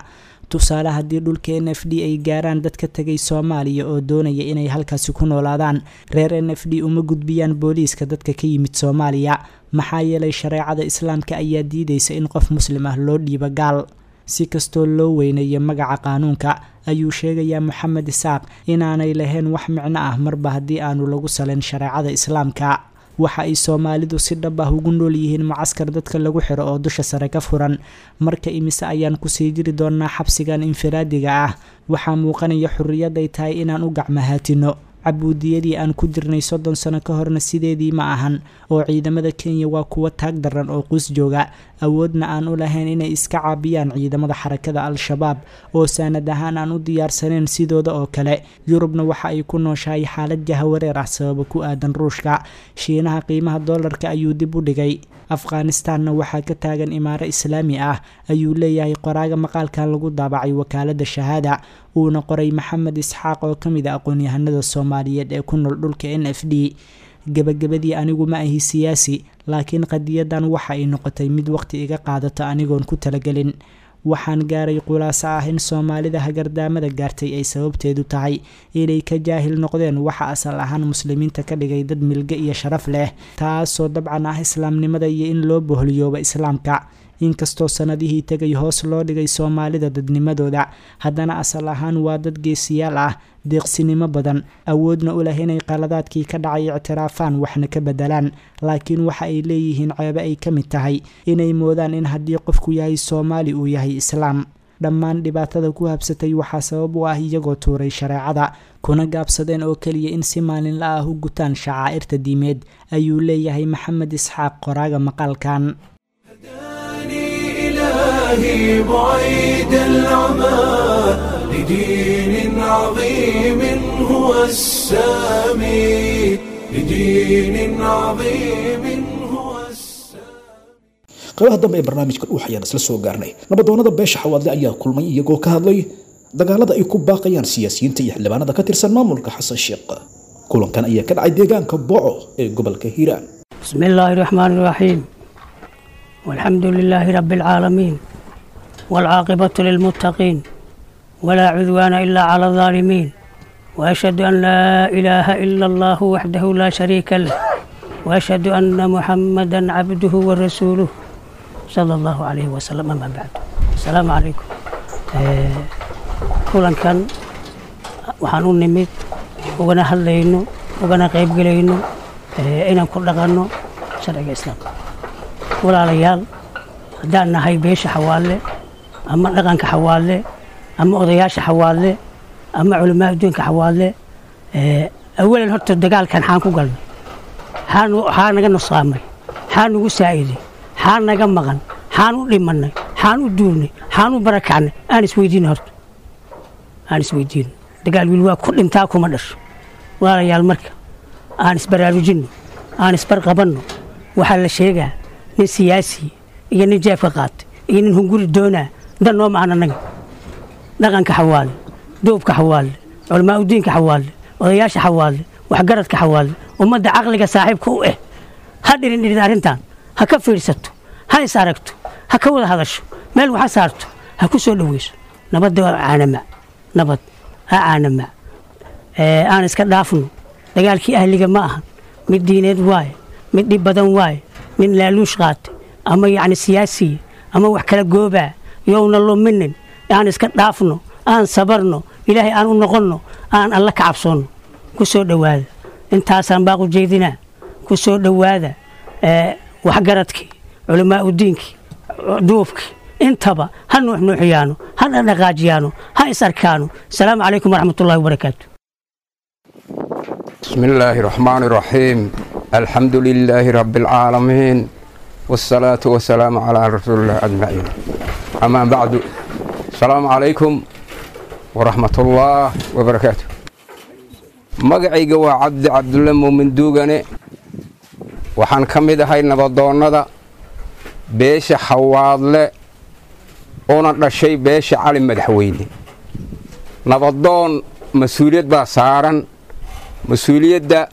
Speaker 5: Tusaale, haddii dhulka N F D ay gaaraan dadka tegay Soomaaliya oo doonaya inay halkaasi ku noolaadaan, reer N F D uma gudbiyaan booliiska dadka ka yimid Soomaaliya, maxaa yeelay shareecada Islaamka ayaa diidaysa in qof muslim ah loo dhiibo gaal. Si kastoo loo weyneeyo magaca qaanuunka, ayuu sheegayaa Maxamed Isaaq inaanay lahayn wax micno ah marba haddii aanu lagu salayn shareecada Islaamka. Waxa ay Soomaalidu si dhab ah ugu nool yihiin mucaskar dadka lagu xiro oo dusha sare ka furan. Marka imise ayaan kusii jiri doonaa xabsigan infiraadiga ah? Waxaa muuqanaya xurriyad ay tahay inaan u gacmahaatino. Cabuudiyadii aan ku jirnay soddon sano ka horna sideedii ma ahan, oo ciidamada Kenya waa kuwa taag daran oo quus jooga, awoodna aan u lahayn inay iska caabiyaan ciidamada xarakada Al-Shabaab oo saanad ahaan aan u diyaarsanayn sidooda oo kale. Yurubna waxa ay ku nooshahay xaalad jahawareer ah sababo ku aadan Ruushka. Shiinaha qiimaha doolarka ayuu dib u dhigay. Afghanistanna waxaa ka taagan imaaro islaami ah, ayuu leeyahay qoraaga maqaalkan lagu daabacay wakaalada Shahaada, uuna qoray Maxamed Isxaaq oo ka mid a aqoon-yahanada Soomaaliyeed ee ku nool dhulka N F D. Gabagabadii, anigu ma ahi siyaasi, laakiin qadiyadan waxa ay noqotay mid waqti iga qaadata anigoon ku talagelin. Waxaan gaaray khulaaso ah in Soomaalida hagardaamada gaartay ay sababteedu tahay inay ka jaahil noqdeen waxa asal ahaan muslimiinta ka dhigay dad milge iyo sharaf leh, taasoo dabcan ah islaamnimada iyo in loo boholiyooba islaamka. Inkastoo sanadihii tegay hoos loo dhigay Soomaalida dadnimadooda, haddana asal ahaan waa dad geesiyaal ah, deeqsinimo badan, awoodna u leh inay qaladaadkii ka dhacay ictiraafaan waxna ka bedelaan. Laakiin waxa ay leeyihiin ceebe ay ka mid tahay inay moodaan in haddii qofku yahay Soomaali uu yahay islaam. Dhammaan dhibaatada ku habsatay waxaa sabab u ah iyagoo tuuray shareecada, kuna gaabsadeen oo keliya in si maalinla ah u gutaan shacaa'irta diimeed, ayuu leeyahay Maxamed Isxaaq qoraaga maqaalkan.
Speaker 1: إلهي بعيد العمى لدين عظيم هو السامي، لدين عظيم هو
Speaker 2: Qaybaha dambe ee barnaamijka Dhuux ayaan isla soo gaarnay. Nabadoonada beesha Xawaadle ayaa kulmay iyagoo ka hadlay dagaalada ay ku baaqayaan siyaasiyiinta iyo xildhibaanada ka tirsan maamulka Xasan Sheekh. Kulankan ayaa ka dhacay deegaanka Boco ee gobolka Hiiraan.
Speaker 6: بسم الله الرحمن الرحيم، والحمد لله رب العالمين، والعاقبة للمتقين، ولا عدوان إلا على الظالمين، وأشهد أن لا إله إلا الله وحده لا شريك له، وأشهد أن محمدا عبده ورسوله صلى الله عليه وسلم. أما بعد، السلام عليكم. kulankan waxaan u nimid ugana hadlayno ugana qaybgelayno inaan ku dhaqanno sharciga islaamka. Walaalayaal, haddaan nahay beesha Xawaalle ama dhaqanka Xawaalle ama odayaasha Xawaalle ama culamaa adduunka Xawaalle, awalan horta dagaalkan xaan ku galnay? Xaa naga nusqaamay? Xaa nagu saa'iday? Xaa naga maqan? Xaan u dhimannay? Xaan u duulnay? Xaan u barakacnay? Aan isweydiino horta, aan isweydiino. Dagaal wiil waa ku dhintaa, kuma dhasho. Walaalayaal, marka aan isbaraarujinno, aan isbarqabanno. Waxaa la sheegaa nin siyaasi iyo nin jeefka qaatay iyo nin hunguri doonaa dan noo mahan. Annaga dhaqanka Xawaale, duubka Xawaale, culamaa udiinka Xawaale, odayaasha Xawaale, waxgaradka Xawaale, ummadda caqliga saaxiibka u eh, ha dhirin dhirin arrintan, ha ka fiirsato, ha is aragto, ha ka wada hadasho, meel waxa saarto, ha ku soo dhoweyso. Nabadda waa caanama, nabad ha caanama. Aan iska dhaafno dagaalkii ahliga. Ma ahan mid diineed waaye, mid dhib badan waaye. Nin laaluush qaatay ama yacni siyaasiya ama wax kala goobaa yowna luminin. Aan iska dhaafno, aan sabarno, Ilaahay aan u noqonno, aan Alla ka cabsoonno. Ku soo dhowaada, intaasaan baaq u jeedinaa. Ku soo dhowaada waxgaradkii, culamaa udiinkii, duubkii, intaba ha nuuxnuuxiyaano, ha dhaqdhaqaajiyaano, ha is arkaano. Asalaamu calaykum waraxmatullahi wabarakaatu.
Speaker 7: بسم الله الرحمن الرحيم، الحمد لله رب العالمين، والصلاة والسلام على رسول الله أجمعين، أما بعد، السلام عليكم ورحمة الله وبركاته. Magacayga waa Cabdi Cabdulle Muumin Duugane. Waxaan ka mid ahay nabadoonnada beesha Xawaadle, una dhashay beesha Cali Madaxweyne. Nabadoon mas-uuliyad baa saaran. Mas-uuliyadda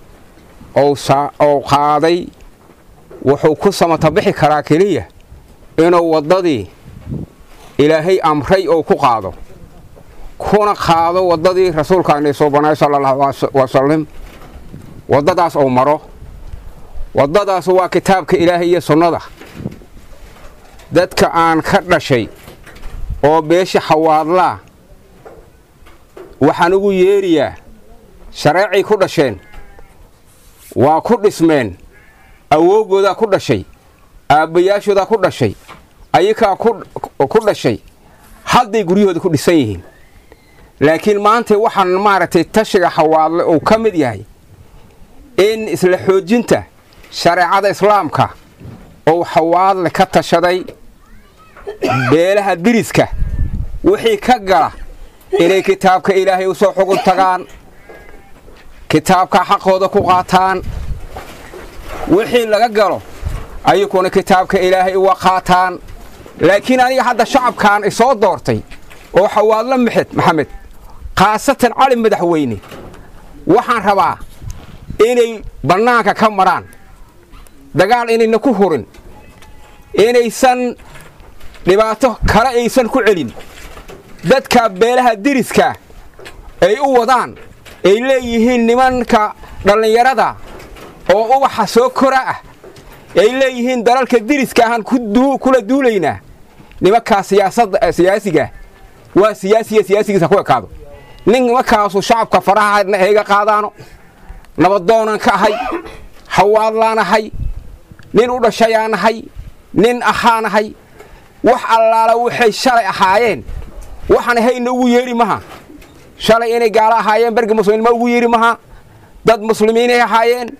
Speaker 7: ou qaaday wuxuu ku samata bixi karaa keliya inuu waddadii Ilaahay amray ou ku qaado, kuna qaado waddadii rasuulkaani soo banay sala allahu wasalam. Waddadaas ou maro, waddadaas waa kitaabka Ilaahay iyo sunnada. Dadka aan ka dhashay oo beesha Xawaadlaa waxaan ugu yeeriyaa shareecay ku dhasheen, waa ku dhismeen, awoogoodaa ku dhashay, aabbayaashoodaa ku dhashay, ayakaa ku dhashay, hadday guryahooda ku dhisan yihiin. Laakiin maanta waxaan maaragtay tashiga Xawaadle uu ka mid yahay in isla xoojinta shareecada islaamka uu Xawaadle ka tashaday beelaha diriska wixii ka gala inay kitaabka Ilaahay u soo xugun tagaan, kitaabka xaqooda ku qaataan. Wixii laga galo Ayakuna kitaabka Ilaahay uga qaataan. Laakiin aniga hadda shacabkan isoo doortay oo Xawaadla Maxed Maxamed, khaasatan Cali Madaxweyne, waxaan rabaa inay bannaanka ka maraan, dagaal inayna ku hurin, inaysan dhibaato kale aysan ku celin dadka beelaha deriska ay u wadaan, ay leeyihiin nimanka dhallinyarada oo ubaxa soo kora ah, ay leeyihiin dalalka deriska ahaan kula duulaynaa. Nimankaa siyaasadda siyaasiga waa siyaasiya, siyaasigiisa ku ekaado. Nin nimankaasu shacabka faraha hayga qaadaano. Nabadoonan ka ahay, Xawaadlaan ahay, nin u dhashayaan ahay, nin ahaanahay. Wax allaala waxay shalay ahaayeen waxaan hayna ugu yeeri maha. Shalay inay gaalo ahaayeen berga muslimiinma ugu yeeri maha. Dad muslimiinay ahaayeen,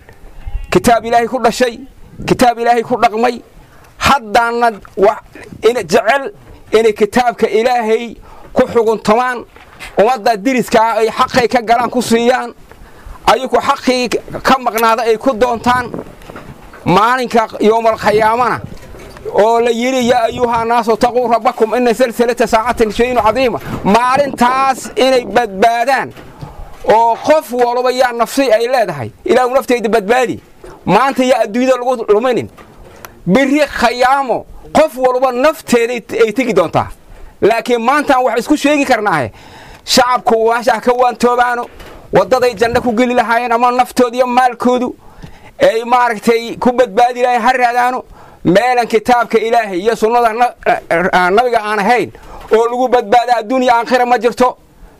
Speaker 7: kitaab Ilaahay ku dhashay, kitaab Ilaahay ku dhaqmay, haddaana jecel inay kitaabka Ilaahay ku xuguntamaan, ummadda diriskaa ay xaqay ka galaan ku siiyaan, ayagu xaqii ka maqnaada ay ku doontaan. Maalinka yowmal khiyaamana oo la yidhi yaa ayuha naasu taquu rabbakum ina salsalata saacatin shayun cadiima, maalintaas inay badbaadaan oo qof walba yaa nafsi ay leedahay, Ilaahu naftayda badbaadi, maanta yaa adduunyada lagu luminin, biri khayaamo qof walba nafteeda ay tegi doontaa. Laakiin maantaan wax isku sheegi karnaahe, shacabku waashaha ka waantoobaano waddaday janno ku geli lahaayeen ama naftooda iyo maalkoodu ay maaragtay ku badbaadi lahayen ha raadaano. Meelan kitaabka Ilaahay iyo sunnada nabiga aan ahayn oo lagu badbaada adduunya aakhira ma jirto,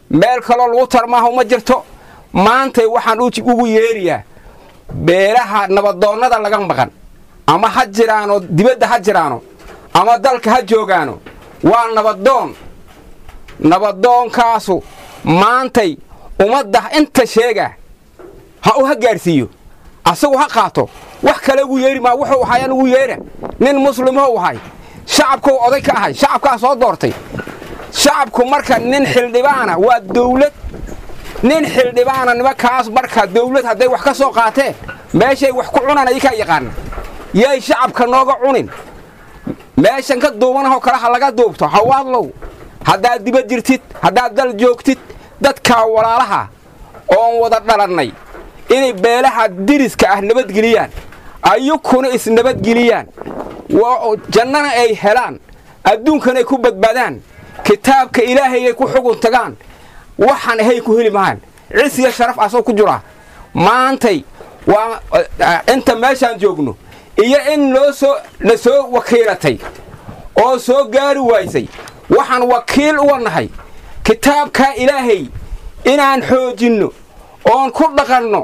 Speaker 7: meel kaloo lagu tarmaaho ma jirto. Maantay waxaan ugu yeeriyaa beelaha nabadoonnada laga maqan, ama ha jiraano dibadda ha jiraano ama dalka ha joogaano, waa nabadoon. Nabadoonkaasu maantay ummadda inta sheega ha u ha gaadhsiiyo, asagu ha qaato. Wax kale ugu yeeri maa, wuxuu ahayaan ugu yeera. Nin muslimou ahay, shacabkuu oday ka ahay, shacabkaa soo doortay. Shacabku marka nin xildhibaana waa dawlad, nin xildhibaana nimankaas marka dawlad hadday wax ka soo qaateen meeshay wax ku cunaan ayakaa yaqaana, yay shacabka nooga cunin. Meeshan ka duubanahoo kale ha laga duubto. Xawaadlow, haddaad dibad jirtid, haddaad dal joogtid, dadkaa walaalaha oon wada dhalannay inay beelaha diriska ah nabadgeliyaan, ayukuna isnabadgeliyaan, jannana ay helaan, adduunkana ay ku badbaadaan, kitaabka Ilaahayay ku xugun tagaan, waxaan ahay ku heli mahaan cis iyo sharaf asoo ku jiraa. Maantay waa inta meeshaan joogno iyo in loo soo la soo wakiilatay oo soo gaari waysay, waxaan wakiil uga nahay kitaabka Ilaahay inaan xoojinno oon ku dhaqanno,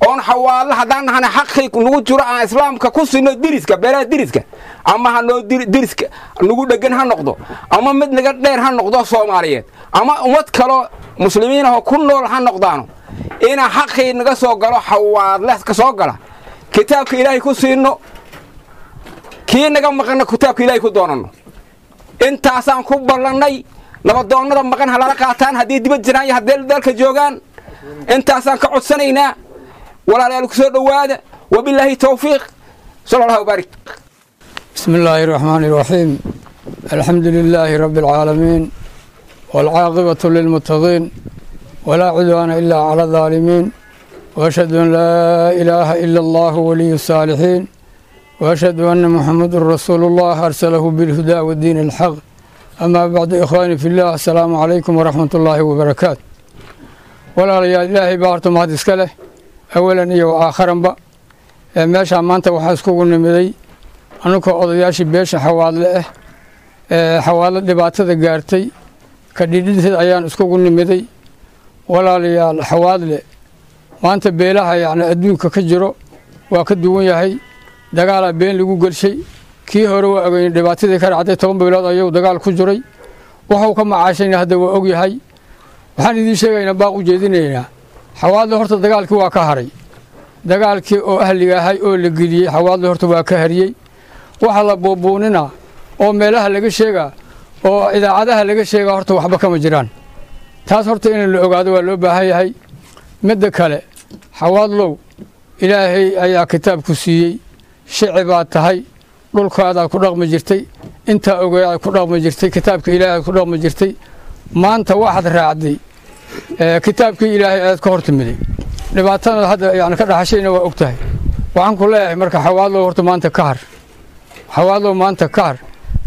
Speaker 7: oon Xawaadla haddaan nahana xaqii nagu jiro aan islaamka ku sinno diriska, beelaha diriska, ama ha noo diriska nagu dheggan ha noqdo, ama mid naga dheer ha noqdo Soomaaliyeed, ama ummad kaloo muslimiin ahoo ku nool ha noqdaano, inaan xaqii naga soo galo Xawaadle ka soo gala kitaabka Ilaahay ku siinno, kii naga maqanna kitaabka Ilaahay ku doonanno. Intaasaan ku ballannay. Nabadoonnada maqan ha lala qaataan haddii dibad jiraan iyo haddii dalka joogaan. Intaasaan ka codsanaynaa. Walaalayaal, ku soo dhowaada. Wabilaahi towfiiq, sala Allahu baarik.
Speaker 8: بسم الله الرحمن الرحيم، الحمد لله رب العالمين، والعاقبة للمتقين، ولا عدوان إلا على الظالمين، وأشهد أن لا إله إلا الله ولي الصالحين، وأشهد أن محمد رسول الله أرسله بالهدى والدين الحق. أما بعد، إخواني في الله، السلام عليكم ورحمة الله وبركاته. ولا يا إلهي بارتم هذا إسكاله أولا iyo aakharanba. Meeshaa maanta waxaa iskugu nimiday anukoo odayaashii beesha Xawaadle ah ee Xawaadle dhibaatada gaartay ka dhidhinteed ayaan iskugu nimiday. Walaalayaal, Xawaadle maanta beelaha yacni adduunka ka jiro waa ka duwan yahay. Dagaalaa been lagu gelshay. Kii hore waa ogeyn dhibaatadii ka dhacday, toban bilood ayuu dagaal ku jiray, wuxuu ka macaashayna hadda waa ogyahay. Waxaan idiin sheegaynaa, baaq u jeedinaynaa, Xawaadle horta dagaalkii waa ka haray. Dagaalkii oo ahliga ahay oo la geliyey Xawaadle horta waa ka hariyey. Waxa la buubuuninaa oo meelaha laga sheegaa oo idaacadaha laga sheegaa horta waxba kama jiraan. Taas horta in la ogaado waa loo baahan yahay. Midda kale, Xawaadlow, Ilaahay ayaa kitaabku siiyey, shici baad tahay. Dhulkaadaad ku dhaqmi jirtay, intaa ogeedaad ku dhaqmi jirtay, kitaabka ilaahay ku dhaqmi jirtay. Maanta waxaad raacday kitaabkii ilaahay aad ka hortimiday, dhibaatada hadda yani ka dhaxashayna waa og tahay. Waxaan ku leeyahay marka Xawaadlow, horta maanta ka har. Xawaadlow, maanta ka har,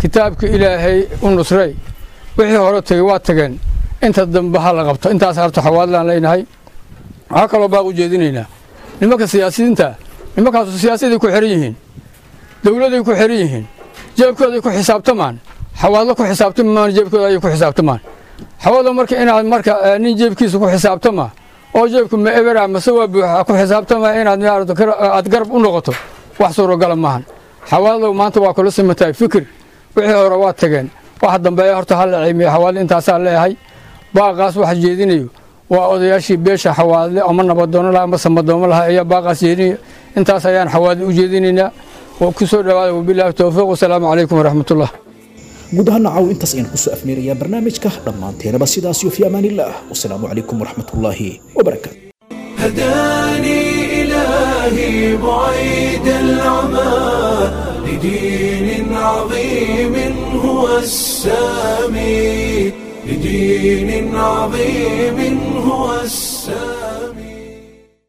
Speaker 8: kitaabka ilaahay u nusray. Wixii hore tegey waa tageen, inta dambe ha la qabto. Intaas horta Xawaadlaan leenahay. Waxaa kaloo baaq u jeedinaynaa nimanka siyaasiyiinta. Nimankaasu siyaasaday ku xiran yihiin, dowladay ku xiran yihiin, jeebkooday ku xisaabtamaan. Xawaadlo ku xisaabtamaan, jeebkooda ayay ku xisaabtamaan. Xawaadlo marka inaad marka nin jeebkiisa ku xisaabtama oo jeebku ma ebera mase waa buuxa ku xisaabtama inaad aad garab u noqoto wax suuragala maahan. Xawaadlow, maanta waa kula simantahay fikir. Wixii hore waa tageen, waxa dambeeya horta ha la ciimiyo. Xawaadle intaasaa leeyahay. Baaqaas waxa jeedinayo waa odayaashii beesha Xawaadle, ama nabadoono laha ama samadoomo laha ayaa baaqaas jeedinaya. Intaas ayaan Xawaadle u jeedinaynaa oo ku soo dhawaada. Wabilaahi towfiiq, wasalaamu calaykum waraxmatullah.
Speaker 2: Guud ahaan caaw intaas ayaan kusoo afmeerayaa barnaamijka. Dhammaanteenaba sidaas iyo fi amaanillaah, wasalaamu calaykum waraxmatullaahi wabarakaatu.
Speaker 1: هداني إلهي بعيد العمى لدين عظيم هو السامي، لدين عظيم هو السامي.